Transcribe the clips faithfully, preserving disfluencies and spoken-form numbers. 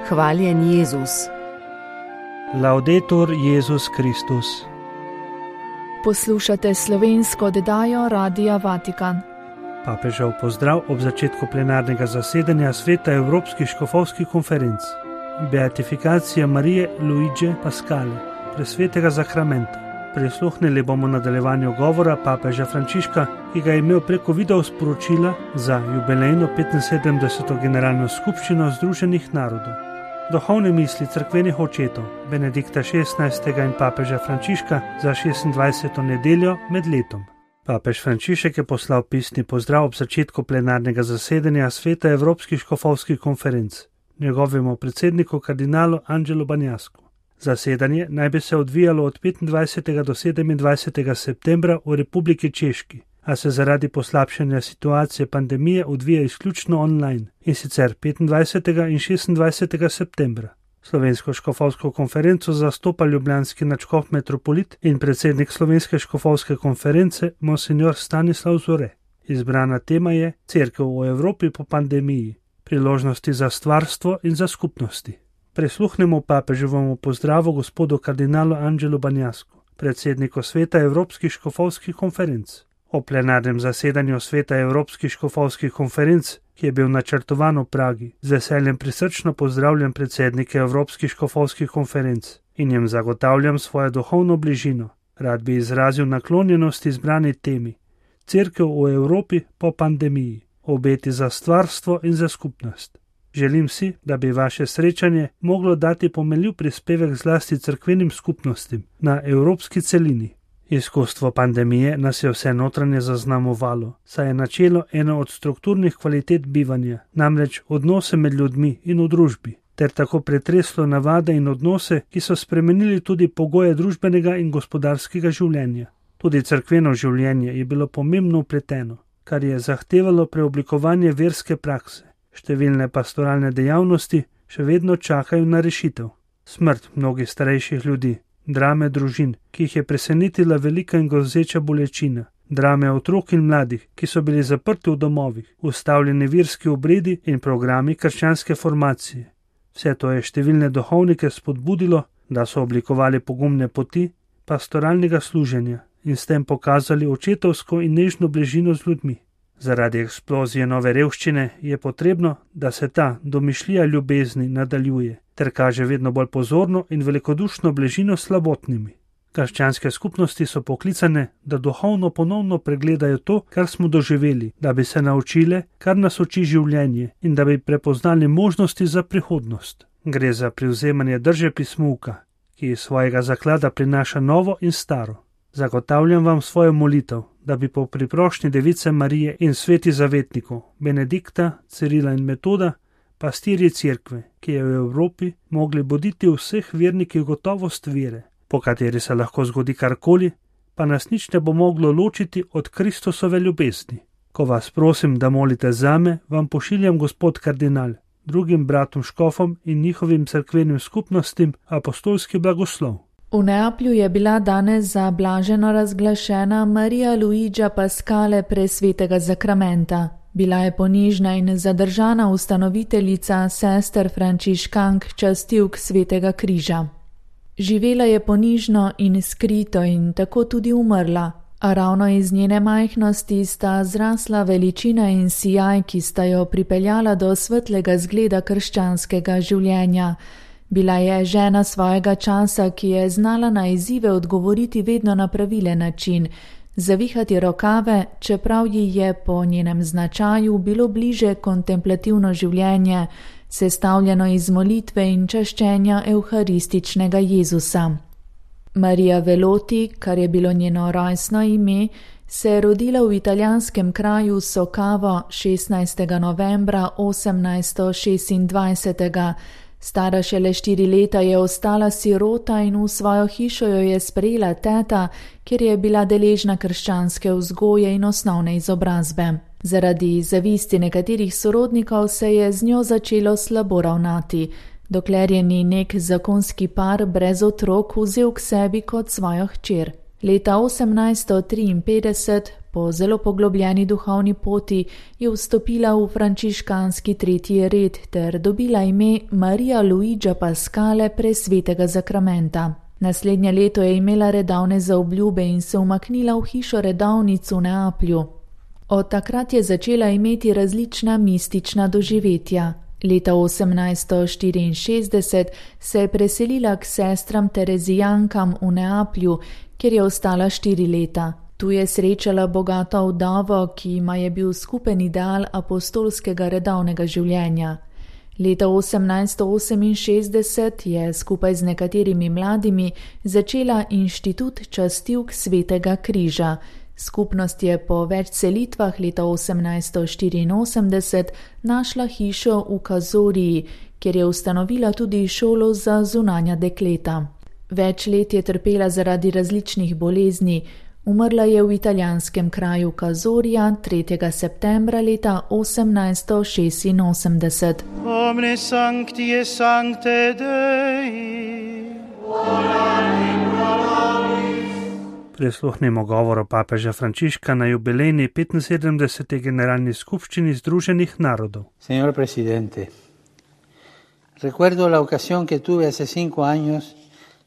Hvaljen Jezus. Laudetur Jezus Kristus. Poslušate slovensko oddajo Radia Vatikan. Papežev pozdrav ob začetku plenarnega zasedanja Sveta Evropskih škofovskih konferenc. Beatifikacija Marije Luigi Pascale, presvetega zakramenta. Prisluhnili bomo nadaljevanju govora papeža Frančiška, ki ga je imel preko video sporočila za jubilejno petinsedemdeseto generalno skupščino Združenih narodov. Duhovne misli cerkvenih očetov Benedikta šestnajstega in papeža Frančiška za šestindvajseto nedeljo med letom. Papež Frančišek je poslal pisni pozdrav ob začetku plenarnega zasedanja Sveta Evropskih škofovskih konferenc njegovemu predsedniku kardinalu Angelu Banjasku. Zasedanje naj bi se odvijalo od petindvajsetega do sedemindvajsetega septembra v Republiki Češki, a se zaradi poslabšanja situacije pandemije odvija izključno online, in sicer petindvajsetega in šestindvajsetega septembra. Slovensko škofovsko konferenco zastopa ljubljanski nadškof metropolit in predsednik Slovenske škofovske konference monsignor Stanislav Zore. Izbrana tema je Cerkev v Evropi po pandemiji, priložnosti za stvarstvo in za skupnosti. Prisluhnemo papeževemu pozdravu gospodu kardinalu Angelu Banjasku, predsedniku Sveta Evropskih škofovskih konferenc. O plenarnem zasedanju Sveta Evropskih škofovskih konferenc, ki je bil načrtovan v Pragi, z veseljem prisrčno pozdravljam predsednike Evropskih škofovskih konferenc in jim zagotavljam svojo duhovno bližino. Rad bi izrazil naklonjenost izbrani temi Cerkev v Evropi po pandemiji, obeti za stvarstvo in za skupnost. Želim si, da bi vaše srečanje moglo dati pomenljiv prispevek zlasti cerkvenim skupnostim na evropski celini. Izkustvo pandemije nas je vse notranje zaznamovalo, saj je načelo eno od strukturnih kvalitet bivanja, namreč odnose med ljudmi in v družbi, ter tako pretreslo navade in odnose, ki so spremenili tudi pogoje družbenega in gospodarskega življenja. Tudi cerkveno življenje je bilo pomembno vpleteno, kar je zahtevalo preoblikovanje verske prakse. Številne pastoralne dejavnosti še vedno čakajo na rešitev. Smrt mnogih starejših ljudi, drame družin, ki jih je presenetila velika in grozeča bolečina, drame otrok in mladih, ki so bili zaprti v domovih, ustavljeni verski obredi in programi krščanske formacije. Vse to je številne duhovnike spodbudilo, da so oblikovali pogumne poti pastoralnega služenja in s tem pokazali očetovsko in nežno bližino z ljudmi. Zaradi eksplozije nove revščine je potrebno, da se ta domišljija ljubezni nadaljuje, ter kaže vedno bolj pozorno in velikodušno bližino slabotnimi. Krščanske skupnosti so poklicane, da duhovno ponovno pregledajo to, kar smo doživeli, da bi se naučile, kar nas uči življenje in da bi prepoznali možnosti za prihodnost. Gre za privzemanje drže pismovka, ki iz svojega zaklada prinaša novo in staro. Zagotavljam vam svojo molitev, da bi po priprošnji Device Marije in sveti zavetnikov Benedikta, Cirila in Metoda, pastirji cerkve, ki je v Evropi, mogli boditi vseh vernikih gotovost vere, po kateri se lahko zgodi karkoli, pa nas nič ne bo moglo ločiti od Kristusove ljubezni. Ko vas prosim, da molite zame, vam pošiljam gospod kardinal, drugim bratom škofom in njihovim cerkvenim skupnostim apostolski blagoslov. V Neaplju je bila danes za blaženo razglašena Marija Luigia Pascale presvetega zakramenta. Bila je ponižna in zadržana ustanoviteljica sester frančiškank častilk svetega križa. Živela je ponižno in skrito in tako tudi umrla, a ravno iz njene majhnosti sta zrasla veličina in sijaj, ki sta jo pripeljala do svetlega zgleda krščanskega življenja. Bila je žena svojega časa, ki je znala na izzive odgovoriti vedno na pravilen način, zavihati rokave, čeprav ji je po njenem značaju bilo bliže kontemplativno življenje, sestavljeno iz molitve in čaščenja evharističnega Jezusa. Marija Veloti, kar je bilo njeno rojstno ime, se je rodila v italijanskem kraju Socavo šestnajstega novembra osemnajststo šestindvajset. Stara šele štiri leta je ostala sirota in v svojo hišo jo je sprejela teta, kjer je bila deležna krščanske vzgoje in osnovne izobrazbe. Zaradi zavisti nekaterih sorodnikov se je z njo začelo slabo ravnati, dokler je ni nek zakonski par brez otrok vzel k sebi kot svojo hčer. Leta osemnajststo triinpetdeset, Po zelo poglobljeni duhovni poti je vstopila v frančiškanski tretji red ter dobila ime Marija Luigia Pascale presvetega zakramenta. Naslednje leto je imela redovne zaobljube in se umaknila v hišo redovnic v Neaplju. Od takrat je začela imeti različna mistična doživetja. Leta osemnajststo štiriinšestdeset se je preselila k sestram Terezijankam v Neaplju, kjer je ostala štiri leta. Tu je srečala bogato vdovo, ki ima je bil skupen ideal apostolskega redovnega življenja. Leta osemnajststo oseminšestdeset je skupaj z nekaterimi mladimi začela inštitut častivk Svetega križa. Skupnost je po več selitvah leta osemnajststo štiriinosemdeset našla hišo v Kazoriji, kjer je ustanovila tudi šolo za zunanja dekleta. Več let je trpela zaradi različnih bolezni. Umrla je v italijanskem kraju Kazorija tretjega septembra leta osemnajststo šestinosemdeset. Omne sancti e sancte Dei, Prisluhnimo govoru papeža Frančiška na jubilejni petinsedemdeseti generalni skupščini Združenih narodov. Señor presidente, recuerdo la ocasión que tuve hace cinco años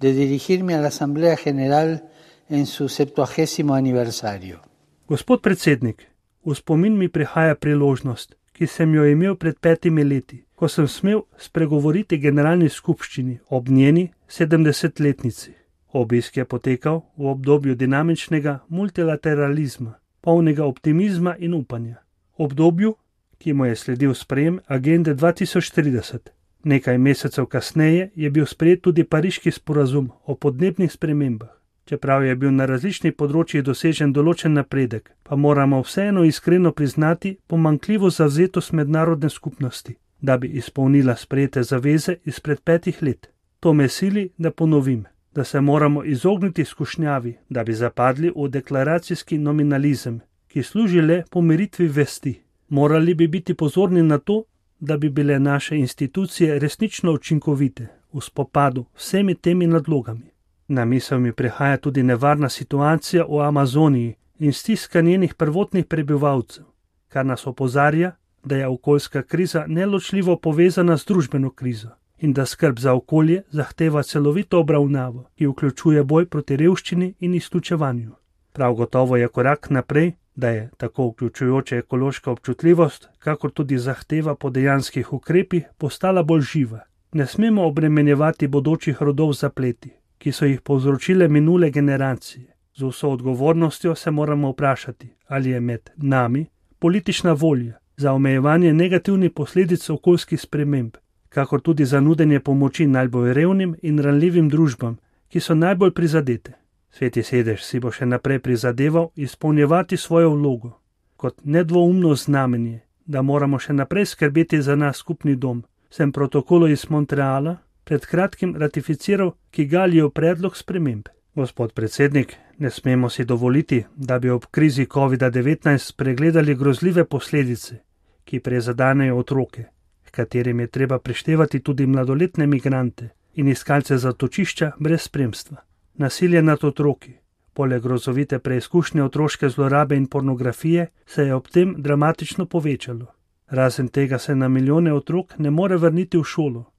de dirigirme a la Asamblea General en su septuagésimo aniversario. Gospod predsednik, v spomin mi prihaja priložnost, ki sem jo imel pred petimi leti, ko sem smel spregovoriti generalni skupščini ob njeni sedemdesetletnici. Obisk je potekal v obdobju dinamičnega multilateralizma, polnega optimizma in upanja. Obdobju, ki mu je sledil sprejem agende dva tisoč trideset. Nekaj mesecev kasneje je bil sprejet tudi Pariški sporazum o podnebnih spremembah. Čeprav je bil na različnih področjih dosežen določen napredek, pa moramo vseeno iskreno priznati pomanjkljivo zavzetost mednarodne skupnosti, da bi izpolnila sprejete zaveze izpred petih let. To me sili, da ponovim, da se moramo izogniti skušnjavi, da bi zapadli v deklaracijski nominalizem, ki služi le pomiritvi vesti. Morali bi biti pozorni na to, da bi bile naše institucije resnično učinkovite v spopadu s vsemi temi nadlogami. Na misel mi prihaja tudi nevarna situacija v Amazoniji in stiska njenih prvotnih prebivalcev, kar nas opozarja, da je okoljska kriza neločljivo povezana z družbeno krizo in da skrb za okolje zahteva celovito obravnavo, ki vključuje boj proti revščini in izključevanju. Prav gotovo je korak naprej, da je tako vključujoča ekološka občutljivost, kakor tudi zahteva po dejanskih ukrepih postala bolj živa. Ne smemo obremenjevati bodočih rodov zapleti, ki so jih povzročile minule generacije. Z vso odgovornostjo se moramo vprašati, ali je med nami politična volja za omejevanje negativnih posledic okoljskih sprememb, kakor tudi za nudenje pomoči najbolj revnim in ranljivim družbam, ki so najbolj prizadete. Sveti sedež si bo še naprej prizadeval izpolnjevati svojo vlogo kot nedvoumno znamenje, da moramo še naprej skrbeti za naš skupni dom. Sem protokolu iz Montreala pred kratkim ratificiral Kigalijev predlog sprememb. Gospod predsednik, ne smemo si dovoliti, da bi ob krizi covid devetnajst spregledali grozljive posledice, ki prizadanejo otroke, h katerim je treba prištevati tudi mladoletne migrante in iskalce zatočišča brez spremstva. Nasilje nad otroki, poleg grozovite preizkušnje otroške zlorabe in pornografije, se je ob tem dramatično povečalo. Razen tega se na milijone otrok ne more vrniti v šolo.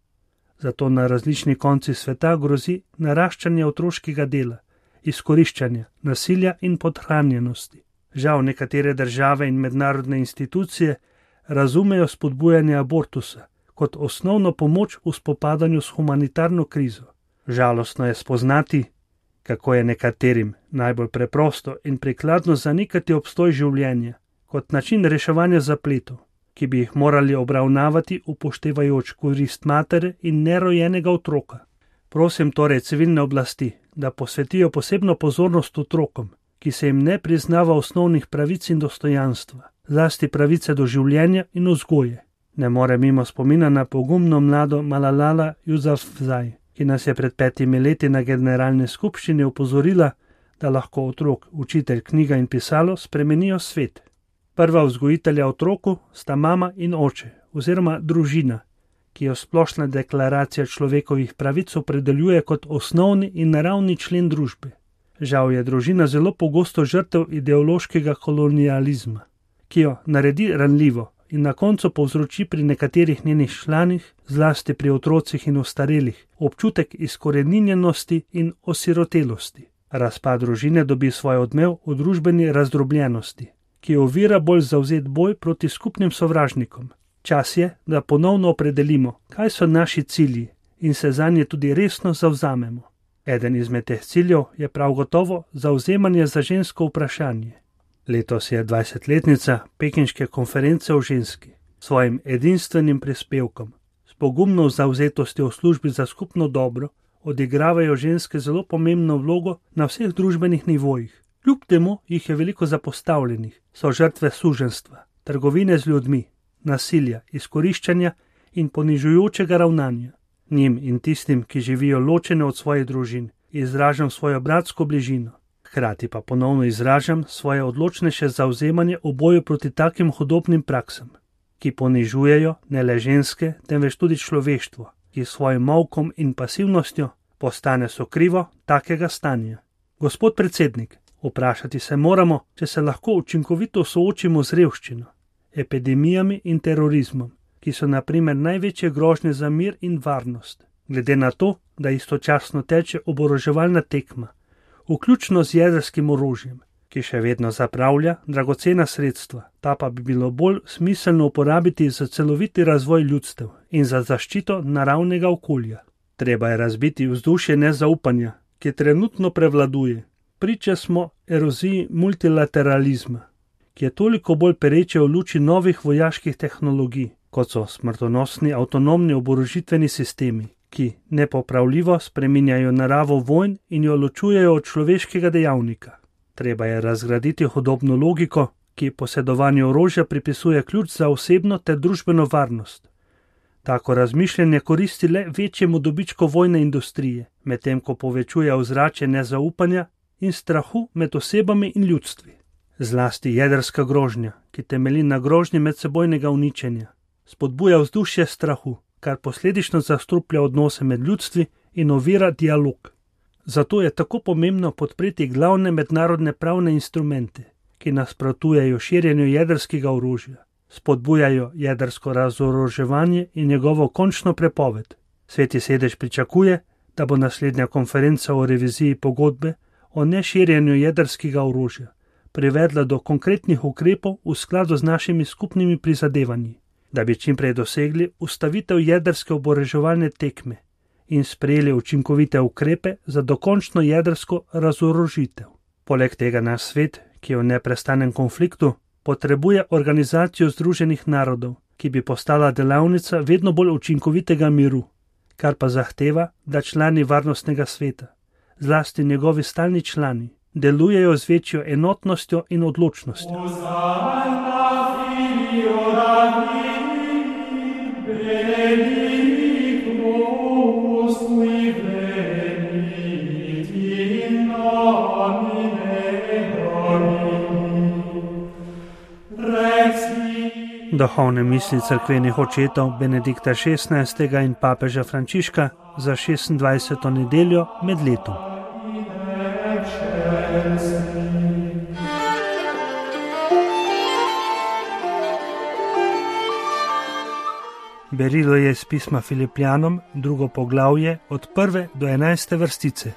Zato na različnih koncih sveta grozi naraščanje otroškega dela, izkoriščanja, nasilja in podhranjenosti. Žal nekatere države in mednarodne institucije razumejo spodbujanje abortusa kot osnovno pomoč v spopadanju s humanitarno krizo. Žalostno je spoznati, kako je nekaterim najbolj preprosto in prikladno zanikati obstoj življenja kot način reševanja zapletov, ki bi jih morali obravnavati upoštevajoč korist matere in nerojenega otroka. Prosim torej civilne oblasti, da posvetijo posebno pozornost otrokom, ki se jim ne priznava osnovnih pravic in dostojanstva, zlasti pravice do življenja in vzgoje. Ne more mimo spomina na pogumno mlado Malala Yousafzai, ki nas je pred petimi leti na generalni skupščini opozorila, da lahko otrok, učitelj, knjiga in pisalo spremenijo svet. Prva vzgojitelja otroku sta mama in oče, oziroma družina, ki jo splošna deklaracija človekovih pravic opredeljuje kot osnovni in naravni člen družbe. Žal je družina zelo pogosto žrtev ideološkega kolonializma, ki jo naredi ranljivo in na koncu povzroči pri nekaterih njenih članih, zlasti pri otrocih in ostarelih, občutek izkoreninjenosti in osirotelosti. Razpad družine dobi svoj odmev v družbeni razdrobljenosti, ki ovira bolj zavzet boj proti skupnim sovražnikom. Čas je, da ponovno opredelimo, kaj so naši cilji in se zanje tudi resno zavzamemo. Eden izmed teh ciljev je prav gotovo zavzemanje za žensko vprašanje. Letos je dvajsetletnica pekinške konference o ženski. Svojim edinstvenim prispevkom, s pogumno zavzetostjo v službi za skupno dobro, odigravajo ženske zelo pomembno vlogo na vseh družbenih nivojih. Kljub temu jih je veliko zapostavljenih, so žrtve suženjstva, trgovine z ljudmi, nasilja, izkoriščanja in ponižujočega ravnanja. Njim in tistim, ki živijo ločene od svojih družin, izražam svojo bratsko bližino. Hkrati pa ponovno izražam svoje odločnejše zavzemanje v boju proti takim hudobnim praksam, ki ponižujejo ne le ženske, temveč tudi človeštvo, ki s svojim molkom in pasivnostjo postane sokrivo takega stanja. Gospod predsednik, vprašati se moramo, če se lahko učinkovito soočimo z revščino, epidemijami in terorizmom, ki so na primer največje grožnje za mir in varnost, glede na to, da istočasno teče oboroževalna tekma, vključno z jedrskim orožjem, ki še vedno zapravlja dragocena sredstva, ta pa bi bilo bolj smiselno uporabiti za celoviti razvoj ljudstev in za zaščito naravnega okolja. Treba je razbiti vzdušje nezaupanja, ki trenutno prevladuje. Priče smo eroziji multilateralizma, ki je toliko bolj pereče v luči novih vojaških tehnologij, kot so smrtonosni avtonomni oborožitveni sistemi, ki nepopravljivo spreminjajo naravo vojn in jo ločujejo od človeškega dejavnika. Treba je razgraditi hudobno logiko, ki posedovanju orožja pripisuje ključ za osebno ter družbeno varnost. Tako razmišljanje koristi le večjemu dobičku vojne industrije, medtem ko povečuje ozračje nezaupanja in strahu med osebami in ljudstvi. Zlasti jedrska grožnja, ki temelji na grožnji medsebojnega uničenja, spodbuja vzdušje strahu, kar posledično zastruplja odnose med ljudstvi in ovira dialog. Zato je tako pomembno podpreti glavne mednarodne pravne instrumente, ki nasprotujejo širjenju jedrskega orožja, spodbujajo jedrsko razoroževanje in njegovo končno prepoved. Sveti sedež pričakuje, da bo naslednja konferenca o reviziji pogodbe o neširjenju jedrskega orožja privedla do konkretnih ukrepov v skladu z našimi skupnimi prizadevanji, da bi čim prej dosegli ustavitev jedrske oboroževalne tekme in sprejeli učinkovite ukrepe za dokončno jedrsko razorožitev. Poleg tega naš svet, ki je v neprestanem konfliktu, potrebuje organizacijo Združenih narodov, ki bi postala delavnica vedno bolj učinkovitega miru, kar pa zahteva, da člani varnostnega sveta, zlasti njegovi stalni člani, delujejo z večjo enotnostjo in odločnostjo. Duhovne misli cerkvenih očetov Benedikta šestnajstega in papeža Frančiška za šestindvajseto nedeljo med letom. Berilo je iz pisma Filipljanom, drugo poglavje, od prve do enajste vrstice.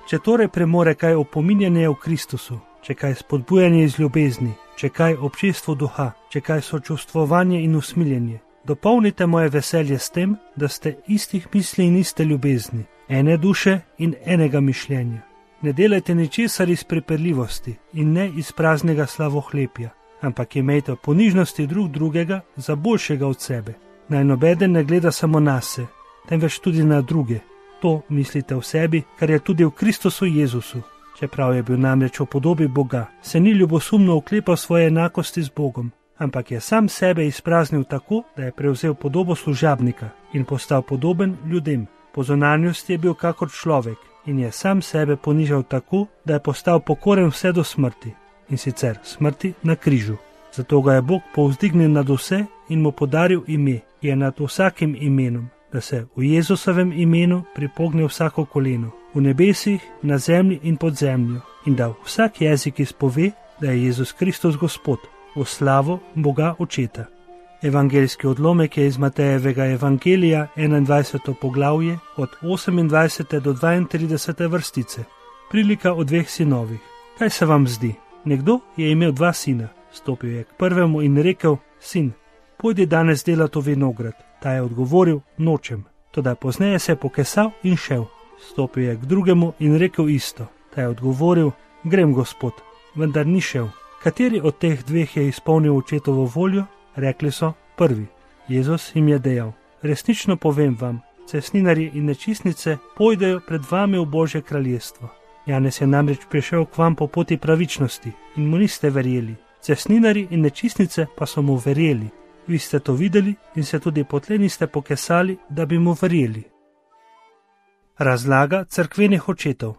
Če torej premore kaj opominjanje o Kristusu, če kaj spodbujanje iz ljubezni, če kaj občestvo duha, če kaj sočustvovanje in usmiljenje, dopolnite moje veselje s tem, da ste istih misli in iste ljubezni, ene duše in enega mišljenja. Ne delajte ničesar iz prepirljivosti in ne iz praznega slavohlepja, ampak imejte ponižnosti drug drugega za boljšega od sebe. Naj nobeden ne gleda samo nase, temveč tudi na druge. To mislite v sebi, kar je tudi v Kristusu Jezusu. Čeprav je bil namreč v podobi Boga, se ni ljubosumno oklepal svoje enakosti z Bogom, ampak je sam sebe izpraznil tako, da je prevzel podobo služabnika in postal podoben ljudem. Po zunanjosti je bil kakor človek in je sam sebe ponižal tako, da je postal pokoren vse do smrti, in sicer smrti na križu. Zato ga je Bog povzdignil nad vse in mu podaril ime, ki je nad vsakim imenom, da se v Jezusovem imenu pripogne vsako koleno, v nebesih, na zemlji in pod zemljo, in da vsak jezik izpove, da je Jezus Kristus Gospod, v slavo Boga Očeta. Evangeljski odlomek je iz Matejevega evangelija, enaindvajseto poglavje, od osemindvajsete do dvaintridesete vrstice. Prilika o dveh sinovih. Kaj se vam zdi? Nekdo je imel dva sina. Stopil je k prvemu in rekel: Sin, pojdi danes delat v vinograd. Ta je odgovoril: Nočem. Toda pozneje se je pokesal in šel. Stopil je k drugemu in rekel isto. Ta je odgovoril: Grem, gospod, vendar ni šel. Kateri od teh dveh je izpolnil očetovo voljo? Rekli so: Prvi. Jezus jim je dejal: Resnično povem vam, cestninarji in nečistnice pojdejo pred vami v Božje kraljestvo. Janez je namreč prišel k vam po poti pravičnosti in mu niste verjeli. Cestninarji in nečistnice pa so mu verjeli. Vi ste to videli in se tudi potlej niste pokesali, da bi mu verjeli. Razlaga cerkvenih očetov.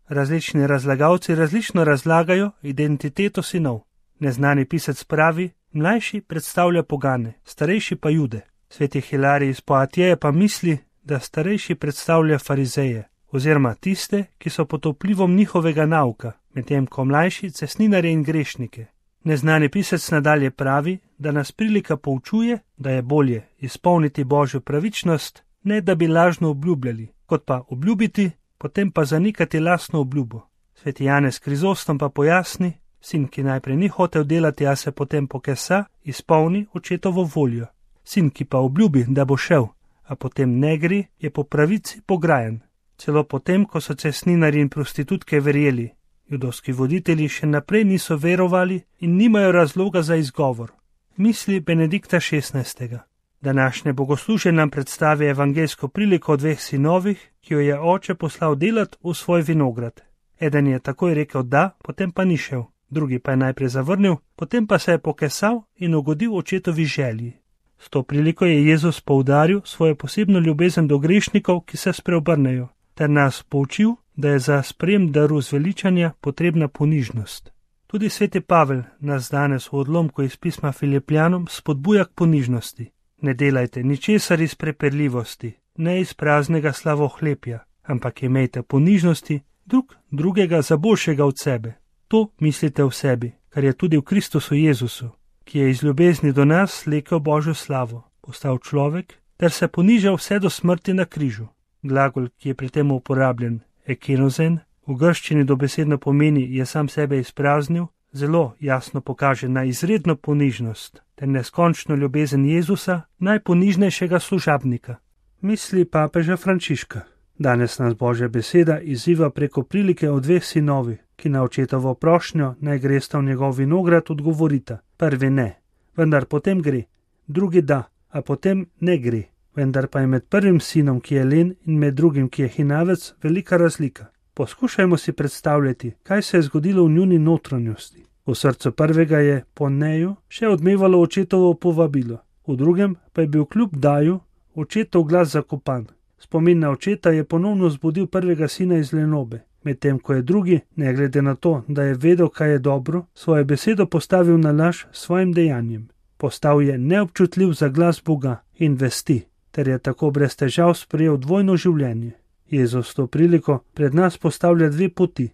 Različni razlagalci različno razlagajo identiteto sinov. Neznani pisec pravi: mlajši predstavlja pogane, starejši pa Jude. Sveti Hilarij iz Poatije pa misli, da starejši predstavlja farizeje, oziroma tiste, ki so pod vplivom njihovega nauka, medtem ko mlajši cestninarje in grešnike. Neznani pisec nadalje pravi, da nas prilika poučuje, da je bolje izpolniti Božjo pravičnost, ne da bi lažno obljubljali, kot pa obljubiti, potem pa zanikati lastno obljubo. Sveti Janez Krizostom pa pojasni: sin, ki najprej ni hotel delati, a se potem pokesa, izpolni očetovo voljo. Sin, ki pa obljubi, da bo šel, a potem ne gre, je po pravici pograjen. Celo potem, ko so cestninarji in prostitutke verjeli. Judovski voditelji še naprej niso verovali in nimajo razloga za izgovor. Misli Benedikta šestnajstega. Današnje bogoslužje nam predstavi evangeljsko priliko o dveh sinovih, ki jo je oče poslal delat v svoj vinograd. Eden je takoj rekel da, potem pa ni šel. Drugi pa je najprej zavrnil, potem pa se je pokesal in ugodil očetovi želji. S to priliko je Jezus poudaril svojo posebno ljubezen do grešnikov, ki se spreobrnejo, ter nas poučil, da je za sprejem daru zveličanja potrebna ponižnost. Tudi sveti Pavel nas danes v odlomku iz pisma Filipljanom spodbuja k ponižnosti. Ne delajte ničesar iz prepirljivosti, ne iz praznega slavohlepja, ampak imejte ponižnosti drug drugega za boljšega od sebe. To mislite v sebi, kar je tudi v Kristusu Jezusu, ki je iz ljubezni do nas slekel Božjo slavo, postal človek, ter se ponižal vse do smrti na križu. Glagol, ki je pri tem uporabljen, ekenozen, v grščini dobesedno pomeni je sam sebe izpraznil, zelo jasno pokaže na izredno ponižnost ter neskončno ljubezen Jezusa, najponižnejšega služabnika. Misli papeža Frančiška. Danes nas Božja beseda izziva preko prilike o dveh sinovih, ki na očetovo prošnjo naj gresta v njegov vinograd odgovorita. Prvi ne, vendar potem gre, drugi da, a potem ne gre. Vendar pa je med prvim sinom, ki je len, in med drugim, ki je hinavec, velika razlika. Poskušajmo si predstavljati, kaj se je zgodilo v njuni notranjosti. V srcu prvega je po neju še odmevalo očetovo povabilo, v drugem pa je bil kljub daju očetov glas zakopan. Spomin na očeta je ponovno zbudil prvega sina iz lenobe, medtem ko je drugi, ne glede na to, da je vedel, kaj je dobro, svojo besedo postavil na laž svojim dejanjem. Postal je neobčutljiv za glas Boga in vesti, ter je tako brez težav sprejel dvojno življenje. Jezus to priliko pred nas postavlja dve poti.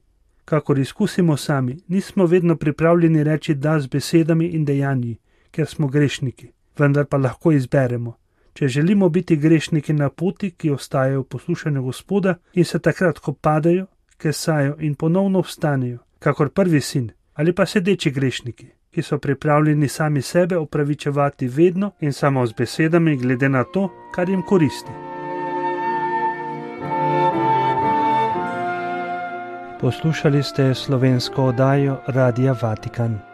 Kakor izkusimo sami, nismo vedno pripravljeni reči da z besedami in dejanji, ker smo grešniki, vendar pa lahko izberemo. Če želimo biti grešniki na poti, ki ostajajo v poslušanju Gospoda in se takrat, ko padajo, kesajo in ponovno vstanejo, kakor prvi sin, ali pa sedeči grešniki, ki so pripravljeni sami sebe opravičevati vedno in samo z besedami glede na to, kar jim koristi. Poslušali ste slovensko oddajo Radia Vatikan.